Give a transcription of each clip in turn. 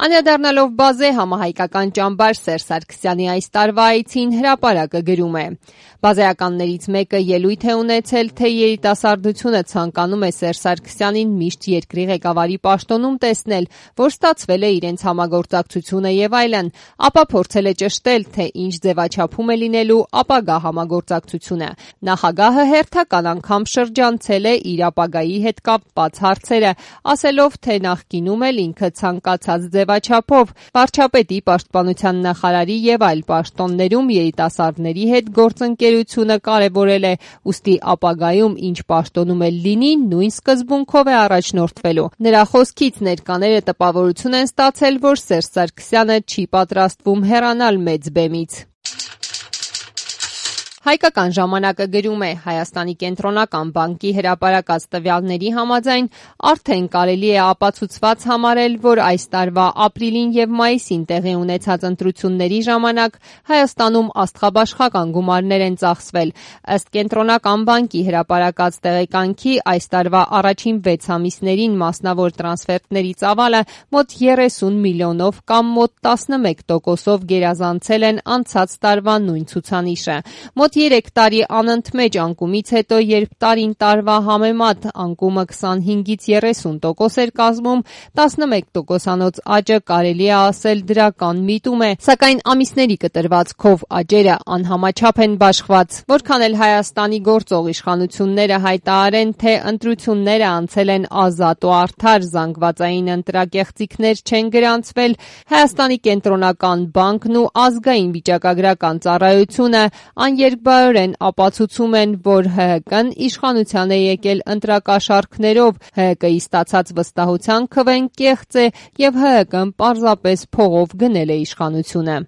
Անդրադառնալով բազե համահայկական ճամբար Սերժ Սարգսյանի այս տարվա այցին հրապարակը գրում է. Բազայականներից մեկը ելույթ է ունեցել, թե երիտասարդությունը ցանկանում է Սերժ Սարգսյանին միշտ երկրի ղեկավարի պաշտոնում տեսնել, որ ստացվել է իրենց համագործակցությունը եւ այլն, ապա փորձել է ճշտել, թե ինչ ձևաչափում է լինելու ապագա համագործակցությունը։ Նախագահը հերթական անգամ շրջանցել է իր ապագայի հետ կապված հարցերը, ասելով, թե նախկինում էլ ինքը ցանկացած ձևաչափով վարչապետի պաշտպանության նախարարի եւ այլ պաշտոններում երիտասարդների հետ գործընկերությունը կարևորել է, ուստի ապագայում ինչ պաշտոնում էլ լինի, նույն սկզբունքով է առաջնորդվելու։ Նրա խոսքից ներկաները տպավորություն են ստացել, որ Սերժ Սարգսյանը չի պատրաստվում հեռանալ մեծ բեմից։ Հայկական ժամանակը գրում է. Հայաստանի կենտրոնական բանկի հրապարակած տվյալների համաձայն արդեն կարելի է ապացուցված համարել, որ այս տարվա ապրիլին եւ մայիսին տեղի ունեցած ընտրությունների ժամանակ Հայաստանում աստղաբաշխական գումարներ են ծախսվել։ Ըստ կենտրոնական բանկի հրապարակած տեղեկանքի այս տարվա առաջին 6 ամիսներին մասնավոր տրանսֆերտների ծավալը մոտ 30 միլիոնով կամ մոտ 11%-ով գերազանցել են անցած տարվա նույն ցուցանիշը։ Մոտ 3 տարի անընդմեջ անկումից հետո, երբ տարին տարվա համեմատ անկումը 25-ից 30% էր կազմում, 11%-անոց աճը կարելի է ասել դրական միտում է, սակայն ամիսների կտրվածքով աճերը անհամաչափ են բաշխված։ Որքան էլ Հայաստանի գործող իշխանությունները հայտարարեն, թե ընտրությունները անցել են ազատ ու արդար, զանգվածային ընտրակեղծիքներ չեն գրանցվել, Հայաստանի կենտրոնական բանկն ու ազգային վիճակագրական ծառայությունը աներկբայորեն ապացուցում են, որ ՀՀԿ-ն իշխանության է եկել ընտրակաշառքներով, ՀՀԿ-ի ստացած վստահության քվեն կեղծ է եւ ՀՀԿ-ն պարզապես փողով գնել է իշխանությունը։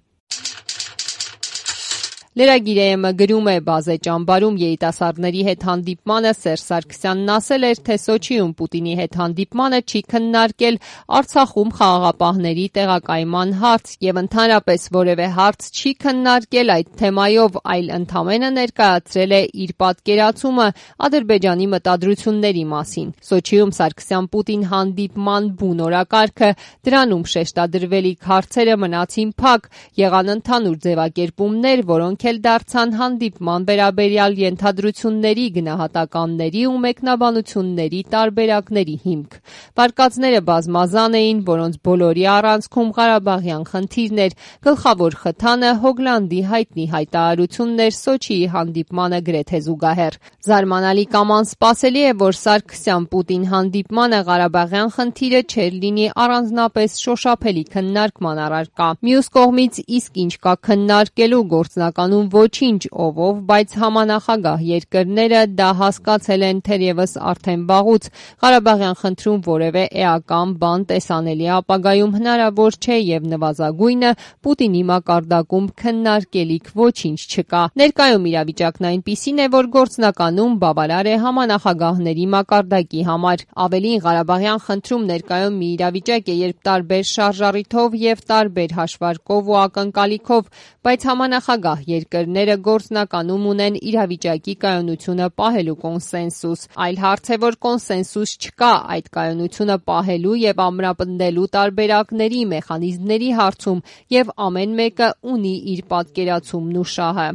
Լրագիր.am-ը գրում է. բազե ճամբարում երիտասարդների հետ հանդիպմանը Սերժ Սարգսյանն ասել էր, թե Սոչիում Պուտինի հետ հանդիպմանը չի քննարկել Արցախում խաղաղապահների տեղակայման հարց եւ ընդհանրապես որևէ հարց չի քննարկել այդ թեմայով, այլ ընդամենը ներկայացրել է իր պատկերացումը Ադրբեջանի մտադրությունների մասին։ Սոչիում Սարգսյան-Պուտին հանդիպման բուն օրակարգը, դրանում շեշտադրվելիք հարցերը մնացին փակ, եղան ընդհանուր ձևակերպումներ, որոնք էլ դարձան հանդիպման վերաբերյալ ենթադրությունների, գնահատականների ու մեկնաբանությունների տարբերակների հիմք։ Վարկածները բազմազան էին, որոնց բոլորի առանցքում Ղարաբաղյան խնդիրն էր։ Գլխավոր խթանը Հոգլանդի հայտնի հայտարարությունն էր Սոչիի հանդիպմանը գրեթե զուգահեռ։ Զարմանալի կամ անսպասելի է, որ Սարգսյան-Պուտին հանդիպմանը Ղարաբաղյան խնդիրը չէր լինի առանձնապես շոշափելի քննարկման առարկա։ Մյուս կողմից, իսկ ինչ կա քննարկելու, գործնականում ոչինչ ով, բայց համանախագահ երկրները դա հասկացել են թերևս արդեն վաղուց։ Ղարաբաղյան խնդրում որևէ էական բան տեսանելի ապագայում հնարավոր չէ եւ նվազագույնը Պուտինի մակարդակում քննարկելիք ոչինչ չկա։ Ներկայում իրավիճակն այնպիսին է, որ գործնականում բավարար է համանախագահների մակարդակի համար։ Ավելին, Ղարաբաղյան խնդրում ներկայում մի իրավիճակ է, երբ տարբեր շարժառիթով եւ տարբեր հաշվարկով ու ակնկալիքով, բայց համանախագահ երկրները գործնականում ունեն իրավիճակի կայունությունը պահելու կոնսենսուս։ Այլ հարց է, որ կոնսենսուս չկա այդ կայունությունը պահելու եւ ամրապնդելու տարբերակների, մեխանիզմների հարցում, եւ ամեն մեկը ունի իր պատկերացումն ու շահը։